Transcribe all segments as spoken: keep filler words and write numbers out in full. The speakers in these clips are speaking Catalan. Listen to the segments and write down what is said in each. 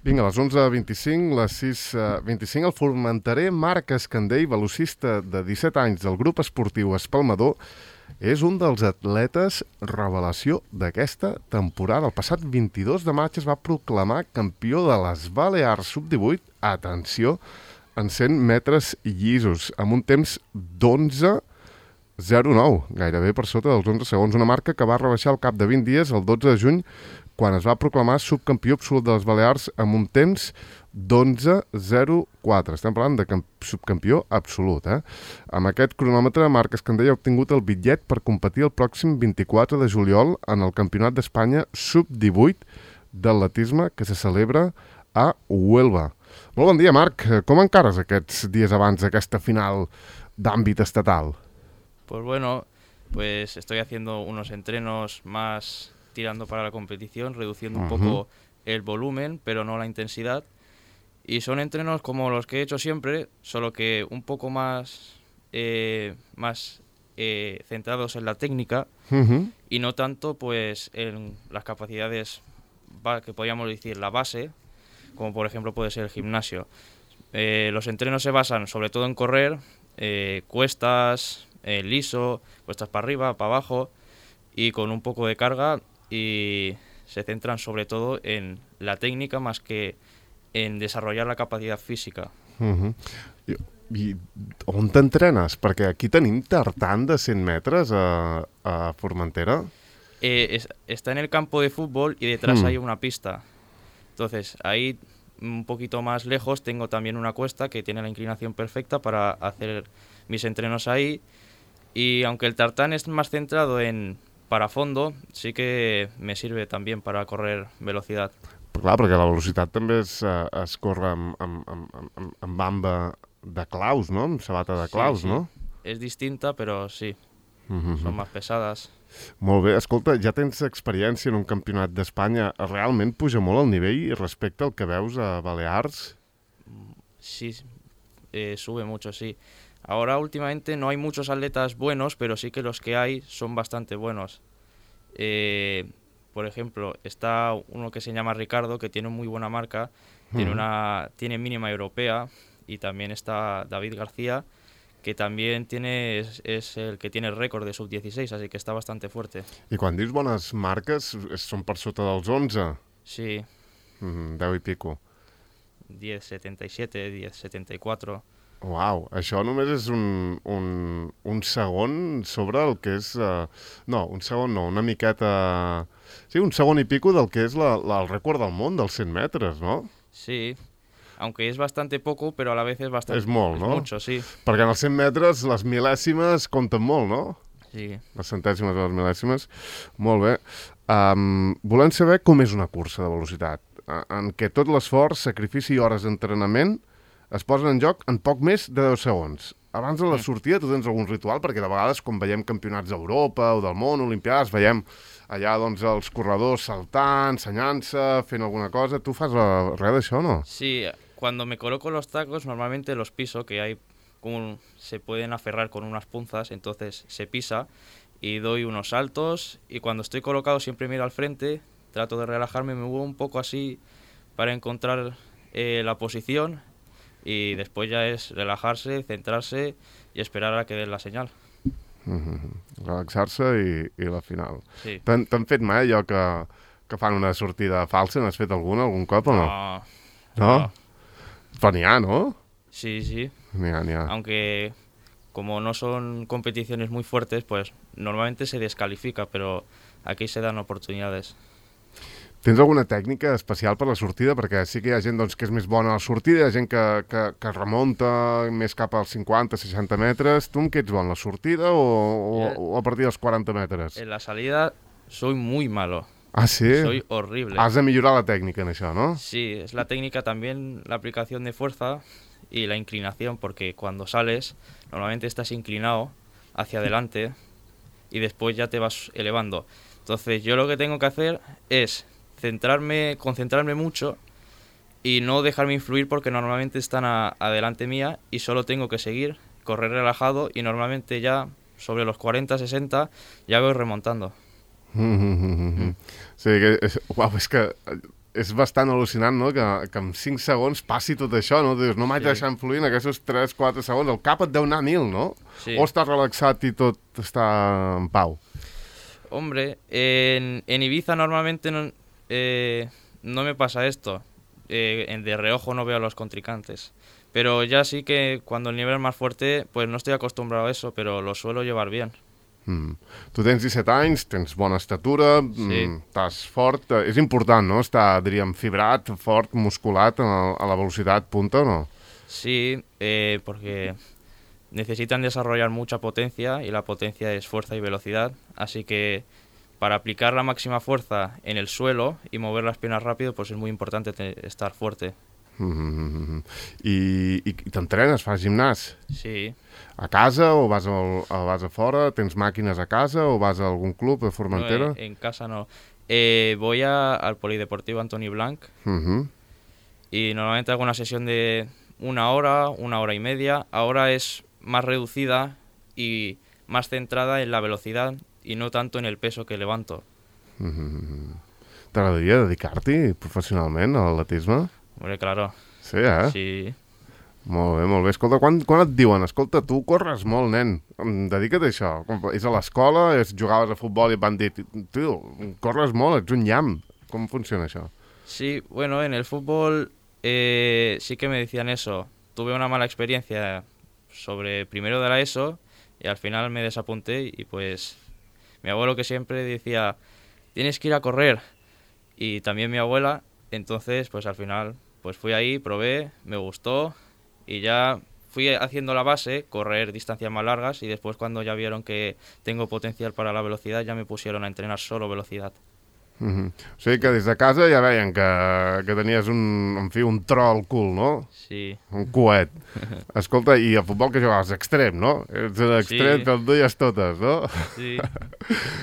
Vinga, a les onze vint-i-cinc, les sis vint-i-cinc, el formenterer Marc Escandell, velocista de disset anys del grup esportiu Espalmador, és un dels atletes revelació d'aquesta temporada. El passat vint-i-dos de maig es va proclamar campió de les Balears sub divuit, atenció, en cent metres llisos, amb un temps d'onze zero nou, gairebé per sota dels onze segons, una marca que va rebaixar al cap de vint dies, el dotze de juny, quan es va proclamar subcampió absolut de les Balears amb un temps d'onze zero quatre. Estem parlant de subcampió absolut, eh? Amb aquest cronòmetre, Marc Escandell ha obtingut el bitllet per competir el pròxim vint-i-quatre de juliol en el Campionat d'Espanya sub divuit d'atletisme que se celebra a Huelva. Molt bon dia, Marc. Com encares aquests dies abans d'aquesta final d'àmbit estatal? Pues bueno, pues estoy haciendo unos entrenos más tirando para la competición, reduciendo un uh-huh. poco el volumen, pero no la intensidad. Y son entrenos como los que he hecho siempre, solo que un poco más, eh, más eh, centrados en la técnica uh-huh. y no tanto pues en las capacidades que podríamos decir la base, como por ejemplo puede ser el gimnasio. Eh, los entrenos se basan sobre todo en correr, eh, cuestas, eh, liso, cuestas para arriba, para abajo y con un poco de carga, y se centran sobre todo en la técnica más que en desarrollar la capacidad física. Uh-huh. I, I on t'entrenes? Perquè aquí tenim tartan de cent metres a, a Formentera. Eh, es, está en el campo de fútbol y detrás mm. hay una pista. Entonces, ahí un poquito más lejos tengo también una cuesta que tiene la inclinación perfecta para hacer mis entrenos ahí. Y aunque el tartán es más centrado en para fondo, sí que me sirve también para correr velocidad. Però clar, perquè la velocitat també es, uh, es corre amb, amb, amb, amb, amb bamba de claus, no? Amb sabata de claus, sí, sí. no? És distinta, però sí, uh-huh. són més pesades. Molt bé. Escolta, ja tens experiència en un campionat d'Espanya. Realment puja molt el nivell respecte al que veus a Balears? Sí, eh, sube mucho, sí. Ahora últimamente no hay muchos atletas buenos, pero sí que los que hay son bastante buenos. Eh, por ejemplo, está uno que se llama Ricardo, que tiene muy buena marca, uh-huh. tiene una tiene mínima europea, y también está David García, que también tiene es, es el que tiene el récord de sub dieciséis, así que está bastante fuerte. I quan dius bones marques, són per sota dels onze? Sí. Mm, deu i pico. diez setenta y siete, diez setenta y cuatro... Uau, això només és un, un, un segon sobre el que és... Uh, no, un segon no, una miqueta... Sí, un segon i pico del que és la, la, el rècord del món dels cent metres, no? Sí, aunque es bastante poco, pero a la vez es bastante... És molt, es no? mucho, sí. Perquè en els cent metres les mil·lèsimes compten molt, no? Sí. Les centèsimes i les mil·lèsimes. Molt bé. Um, volem saber com és una cursa de velocitat, en què tot l'esforç, sacrifici i hores d'entrenament es posen en joc en poc més de deu segons. Abans de la sortida tu tens algun ritual? Perquè de vegades quan veiem campionats d'Europa o del món, olimpiades, veiem allà doncs els corredors saltant, ensenyant-se, fent alguna cosa. Tu fas uh, res d'això, no? Sí, cuando me coloco los tacos normalmente los piso, que hay como se pueden aferrar con unas punzas, entonces se pisa y doy unos saltos, y cuando estoy colocado siempre miro al frente, trato de relajarme, me muevo un poco así para encontrar eh, la posición. Y después ya es relajarse, centrarse y esperar a que den la senyal. Mm-hmm. Relaxar-se i, i la final. Sí. T'han, t'han fet mai allò que, que fan una sortida falsa? N'has fet alguna, algun cop o no? No. No? no. Però n'hi ha, no? Sí, sí. N'hi ha, n'hi ha. Aunque como no son competiciones muy fuertes, pues normalmente se descalifica, pero aquí se dan oportunidades. Tens alguna tècnica especial per la sortida? Perquè sí que hi ha gent doncs, que és més bona a la sortida, hi ha gent que, que, que remunta més cap als cinquanta seixanta metres. Tu en què ets bon, la sortida o, o, o a partir dels quaranta metres? En la salida soy muy malo. Ah, sí? Soy horrible. Has de millorar la técnica en això, ¿no? Sí, es la técnica también, la aplicación de fuerza y la inclinación, porque cuando sales normalmente estás inclinado hacia adelante y después ya te vas elevando. Entonces yo lo que tengo que hacer es centrarme, concentrarme mucho y no dejarme influir, porque normalmente están a, adelante mía y solo tengo que seguir, correr relajado, y normalmente ya sobre los cuarenta sesenta ya voy remontando. Mm-hmm. Mm. Sí, que, és, uau, és que és bastant al·lucinant, no?, que, que en cinc segons passi tot això, no? Dius, no m'haig Sí. de deixar influir en aquests tres quatre segons. El cap et deu anar a mil, no? Sí. O estàs relaxat i tot està en pau? Hombre, en, en Ibiza normalmente no, eh, no me pasa esto. Eh, en de reojo no veo a los contrincantes. Pero ya sí que cuando el nivel es más fuerte, pues no estoy acostumbrado a eso, pero lo suelo llevar bien. Mm. Tu tens disset anys, tens bona estatura, Sí. mm, estàs fort. eh, És important, no?, estar, diríem, fibrat, fort, musculat a, a la velocitat punta, o no? Sí, eh, porque necesitan desarrollar mucha potencia y la potencia es fuerza y velocidad. Así que para aplicar la máxima fuerza en el suelo y mover las piernas rápido, pues es muy importante te- estar fuerte. Mm -hmm. I, i, i t'entrenes, fas gimnàs? Sí. A casa o vas, al, a, vas a fora? Tens màquines a casa o vas a algun club a Formentera? No, en, en casa no. Eh, voy a- al Polideportivo Antoni Blanc Mm -hmm. y normalmente hago una sesión de una hora, una hora y media. Ahora es más reducida y más centrada en la velocidad y no tanto en el peso que levanto. Mm -hmm. T'agradaria dedicar-t'hi professionalment a l'atletisme? Hombre, claro. Sí, eh? Sí. Molt bé, molt bé. Escolta, quan, quan et diuen, escolta, tu corres molt, nen, em, dedica't a això. Com- És a l'escola, és, jugaves a futbol i et van dir, tio, corres molt, ets un llamp. Com funciona això? Sí, bueno, en el fútbol eh, sí que me decían eso. Tuve una mala experiencia sobre primero de la ESO y al final me desapunté y pues mi abuelo que siempre decía, tienes que ir a correr. Y también mi abuela, entonces pues al final pues fui ahí, probé, me gustó y ya fui haciendo la base, correr distancias más largas y después cuando ya vieron que tengo potencial para la velocidad ya me pusieron a entrenar solo velocidad. Mm -hmm. O sigui que des de casa ja veien que, que tenies un, en fi, un tro al cul, no? Sí. Un coet. Escolta, i a futbol que jugaves extrem, no? Ets l'extrem, Sí. te'l duies totes, no? Sí.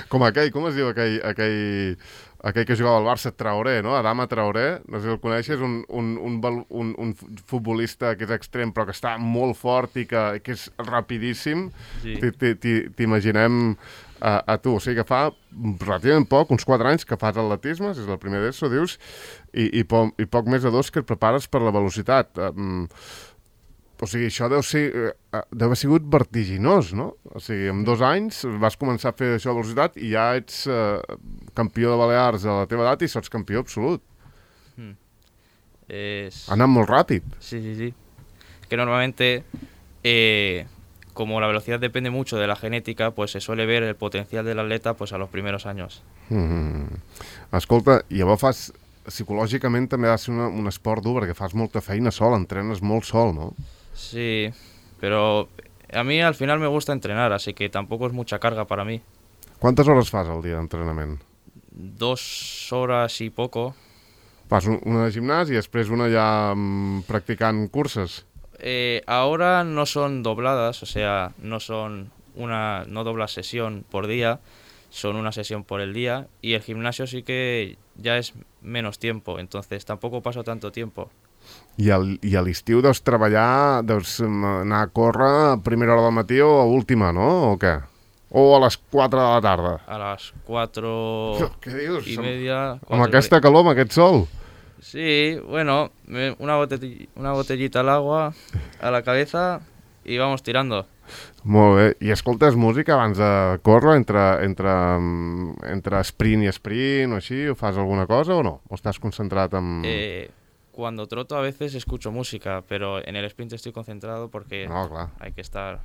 Com aquell, com es diu aquell, aquell, aquell que jugava al Barça, Traoré, no? Adama Traoré, no sé si el coneixes, un, un, un, val- un, un futbolista que és extrem però que està molt fort i que, que és rapidíssim. Sí. Ti- ti- ti- T'imaginem a, a tu, o sigui que fa relativament poc, uns quatre anys que fas atletisme, és el primer d'ESO, dius, i, i, po i poc més de dos que et prepares per la velocitat. Um, o sigui, això deu, ser, uh, deu haver sigut vertiginós, no? O sigui, en dos anys vas començar a fer això de velocitat i ja ets uh, campió de Balears a la teva edat i sots campió absolut. Es... Ha anat molt ràpid. Sí, sí, sí. Que normalmente, eh, como la velocidad depende mucho de la genética, pues se suele ver el potencial del atleta pues a los primeros años. Mm. Escolta, i llavors fas... Psicològicament també ha de ser una, un esport dur perquè fas molta feina sol, entrenes molt sol, no? Sí, pero a mí al final me gusta entrenar, así que tampoco es mucha carga para mí. Quantes hores fas al dia d'entrenament? Dos horas y poco. Fas un, una de gimnàs i després una ja mm, practicant curses. Eh, ahora no son dobladas, o sea, no son una, no doblas sesión por día, son una sesión por el día y el gimnasio sí que ya es menos tiempo, entonces tampoco paso tanto tiempo. I, el, i a l'estiu deus treballar, deus mm, anar a córrer a primera hora del matí o a última, no? O què? O a les quatre de la tarda? A las cuatro Què dius? y Amb- media... Amb cuatro y aquesta calor, amb aquest sol? Sí, bueno, me- una, botell- una botellita al agua a la cabeza y vamos tirando. Molt bé. I escoltes música abans de córrer, entre, entre, mm, entre sprint i sprint o així? O fas alguna cosa o no? O estàs concentrat en... Eh, cuando troto a veces escucho música, pero en el sprint estoy concentrado porque No, clar. hay que estar...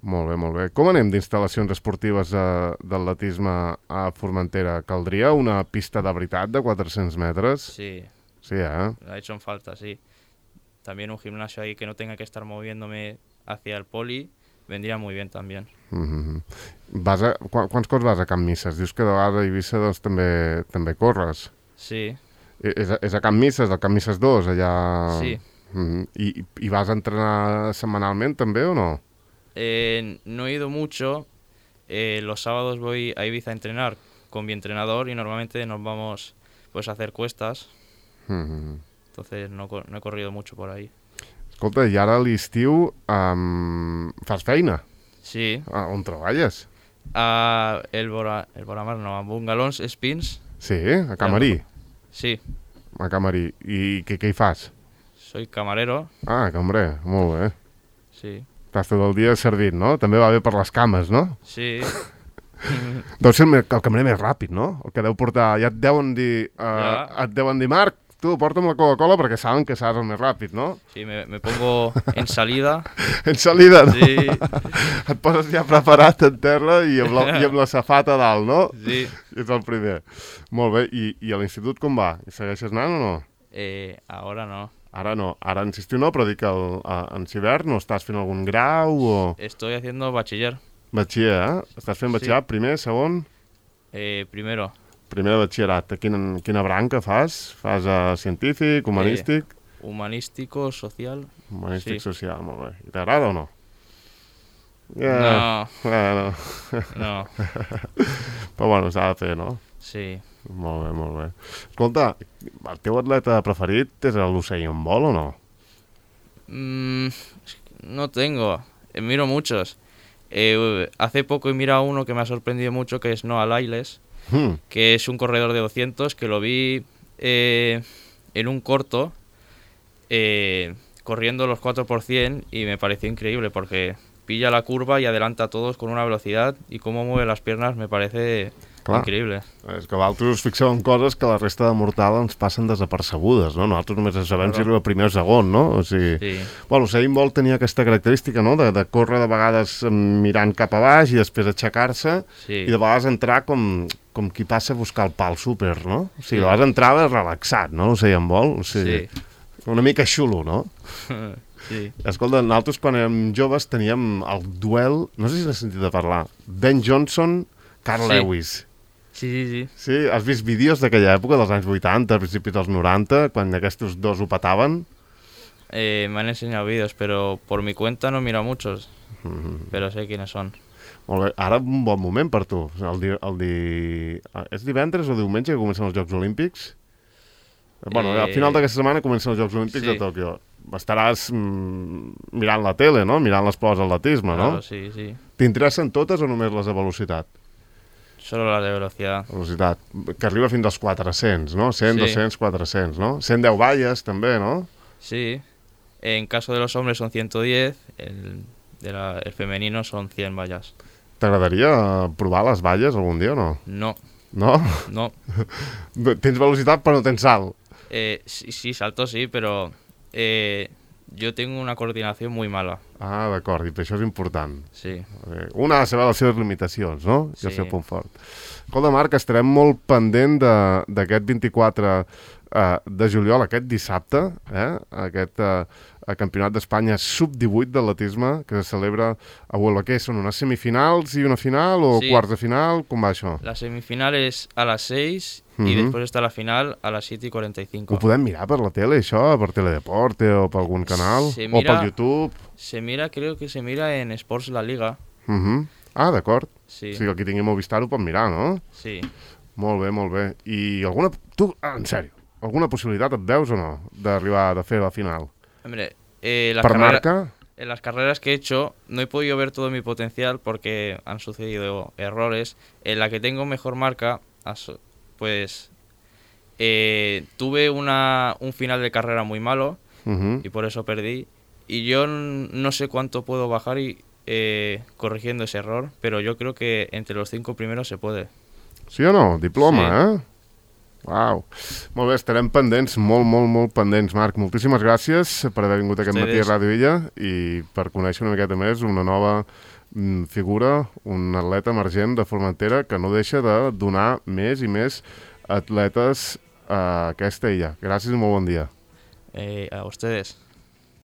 Molt bé, molt bé. Com anem d'instal·lacions esportives eh, d'atletisme a Formentera? Caldria una pista de veritat de quatre-cents metres? Sí, Sí, eh? ha hecho en falta, sí. También un gimnasio ahí que no tenga que estar moviéndome hacia el poli vendría muy bien también. Mm -hmm. Vas a, qu quants cops vas a Can Misses? Dius que de vegades a Eivissa doncs, també, també corres. Sí, I- És a, és a Can Misses, al Can Misses dos, allà... Sí. Mm -hmm. I, I vas a entrenar setmanalment també o no? eh, no he ido mucho. Eh, los sábados voy a Ibiza a entrenar con mi entrenador y normalmente nos vamos pues a hacer cuestas. Mm -hmm. Entonces no, co- no he corrido mucho por ahí. Escolta, i ara a l'estiu um, fas feina? Sí, Ah, on treballes? a el, Bora, el Boramar no, a Bungalons Spins. Sí, a Camarí. Sí, a Camarí. I què, què hi fas? Soy camarero. Ah, cambrer, molt bé. Sí. Estàs tot el dia servint, no? També va bé per les cames, no? Sí. Deu ser el, me- el cambrer més ràpid, no? El que deu portar... Ja et deuen dir... Uh, Ja. Et deuen dir, Marc, tu porta'm la Coca-Cola perquè saben que seràs el més ràpid, no? Sí, me, me pongo en salida. En salida, no? Sí. Et poses ja preparat en terra i amb la, i amb la safata a dalt, no? Sí. Ets el primer. Molt bé. I, i a l'institut com va? Hi segueixes anant o no? Eh, ahora no. Ara no. Ara en estiu no, però dic que el, a, en hivern no estàs fent algun grau o... Estoy haciendo bachiller. Batxiller, eh? Estàs fent batxillerat, primer, segon? Eh, primero. Primer de batxillerat. Quina, quina branca fas? Fas uh, científic, humanístic? Humanístico, social. Humanístic sí. social, molt bé. I t'agrada o no? No. Bueno. No. Però bueno, s'ha de fer, no? Sí. Molt bé, molt bé. Escolta, el teu atleta preferit és l'Usain Bolt o no? Mm, no tengo. Eh, miro muchos. Eh, hace poco he mirado uno que me ha sorprendido mucho, que es Noah Lyles, Hmm. que es un corredor de doscientos, que lo vi eh, en un corto, eh, corriendo los cuatro por cien, y me pareció increíble porque pilla la curva y adelanta a todos con una velocidad, y cómo mueve las piernas me parece Clar. increíble. És que vosaltres us fixeu en coses que la resta de mortal ens passen desapercebudes, no? Nosaltres només en sabem Claro. si arriba primer o segon, no? O sigui... Sí. Bueno, Usain Bolt tenia aquesta característica, no?, de, de córrer de vegades mirant cap a baix i després aixecar-se Sí. i de vegades entrar com, com qui passa a buscar el pal súper, no? O sigui, Sí. de vegades entrava relaxat, no?, Usain Bolt. O sigui, Sí. una mica xulo, no? Sí. Escolta, nosaltres quan érem joves teníem el duel, no sé si n'has sentit a parlar, Ben Johnson, Carl Sí. Lewis. Sí, sí, sí. Sí, has vist vídeos d'aquella època, dels anys vuitanta, principis dels noranta, quan aquests dos ho petaven? Eh, me han enseñado vídeos, pero por mi cuenta no miro muchos, Mm, pero sé quiénes son. molt bé. Ara un bon moment per tu. El di, el di... És divendres o diumenge que comencen els Jocs Olímpics? Bueno, Eh, al final d'aquesta setmana comencen els Jocs Olímpics sí. de Tòquio. Estaràs mm, mirant la tele, no? Mirant les proves d'atletisme, no? Claro, sí, sí. T'interessen totes o només les de velocitat? Solo las de velocidad. Velocitat, que arriba fins als quatre-cents, no? cent, Sí. dos-cents, quatre-cents, no? cent deu valles, també, no? Sí. En caso de los hombres son ciento diez, el, de la- el femenino son cien vallas. T'agradaria provar les valles algun dia o no? No, No? no. Tens velocitat però no tens salt. Eh, sí, sí, salto sí, pero eh, yo tengo una coordinación muy mala. Ah, d'acord, i per això és important. Sí. Eh, Un ha de saber les seves limitacions, no? I el Sí. seu punt fort. Escolta, Marc, estarem molt pendent de- d'aquest vint-i-quatre eh, de juliol, aquest dissabte, eh? aquest eh, el Campionat d'Espanya sub divuit d'atletisme que se celebra a Huelva. Què són, unes semifinals i una final o Sí. quarts de final? Com va això? La semifinal es a las seis y Ujú. después está la final a las siete y cuarenta y cinco. Ho podem mirar per la tele, això? Per Teledeporte o per algun canal? Se O mira- per YouTube? Se mira, creo que se mira en Sports La Liga. Uh -huh. Ah, d'acord. Sí, O sigui, el qui tingui Movistar ho pot mirar, no? sí. Molt bé, molt bé. I alguna... Tu, ah, en sèrio, alguna possibilitat et veus o no d'arribar a fer la final? Hombre, eh, las Per carrera- marca? en las carreras que he hecho no he podido ver todo mi potencial porque han sucedido errores. En la que tengo mejor marca, aso- pues eh, tuve una, un final de carrera muy malo Uh -huh. y por eso perdí. Y yo n- no sé cuánto puedo bajar y eh, corrigiendo ese error, pero yo creo que entre los cinco primeros se puede. Sí o no? Diploma, eh? Uau. Molt bé, estarem pendents, molt, molt, molt pendents, Marc. Moltíssimes gràcies per haver vingut aquest matí a Ustedes. Ràdio Illa i per conèixer una miqueta més una nova mm, figura, un atleta emergent de Formentera que no deixa de donar més i més atletes a aquesta illa. Gràcies i molt bon dia. Eh, a ustedes.